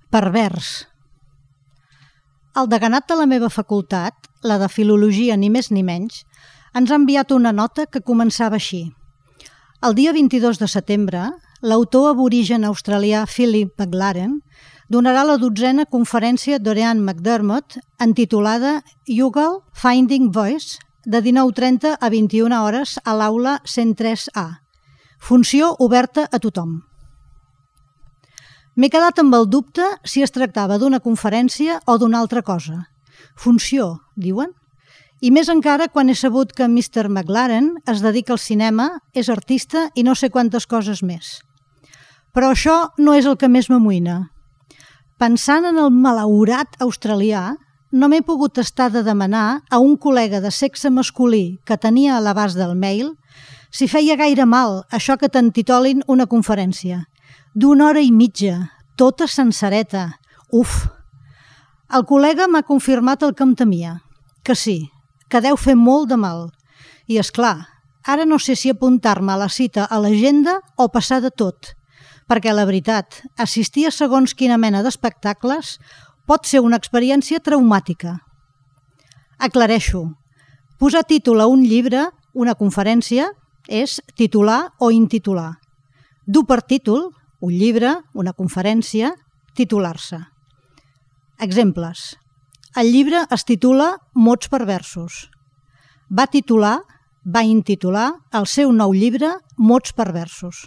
Pervers. El deganat de la meva facultat, la de Filologia ni més ni menys, ens ha enviat una nota que començava així. El dia 22 de setembre, l'autor aborigen australià Philip McLaren donarà la 12a conferència d'Oriane McDermott intitulada Youghal Finding Voice de 19:30 a 21 hores a l'aula 103A. Funció oberta a tothom. M'he quedat amb el dubte si es tractava d'una conferència o d'una altra cosa. Funció, diuen? I més encara quan he sabut que Mr. McLaren es dedica al cinema, és artista i no sé quantes coses més. Però això no és el que més m'amoïna. Pensant en el malaurat australià, no m'he pogut estar de demanar a un col·lega de sexe masculí que tenia a l'abast del mail si feia gaire mal això que t'entitolin una conferència. D'una hora i mitja, tota sencereta. Uf! El col·lega m'ha confirmat el que em temia, que sí, que deu fer molt de mal. I és clar, ara no sé si apuntar-me a la cita a l'agenda o passar de tot, perquè la veritat, assistir a segons quina mena d'espectacles pot ser una experiència traumàtica. Aclareixo. Posar títol a un llibre, una conferència, és titular o intitular. Dur per títol, un llibre, una conferència, titular-se. Exemples. El llibre es titula Mots perversos. Va intitular el seu nou llibre Mots perversos.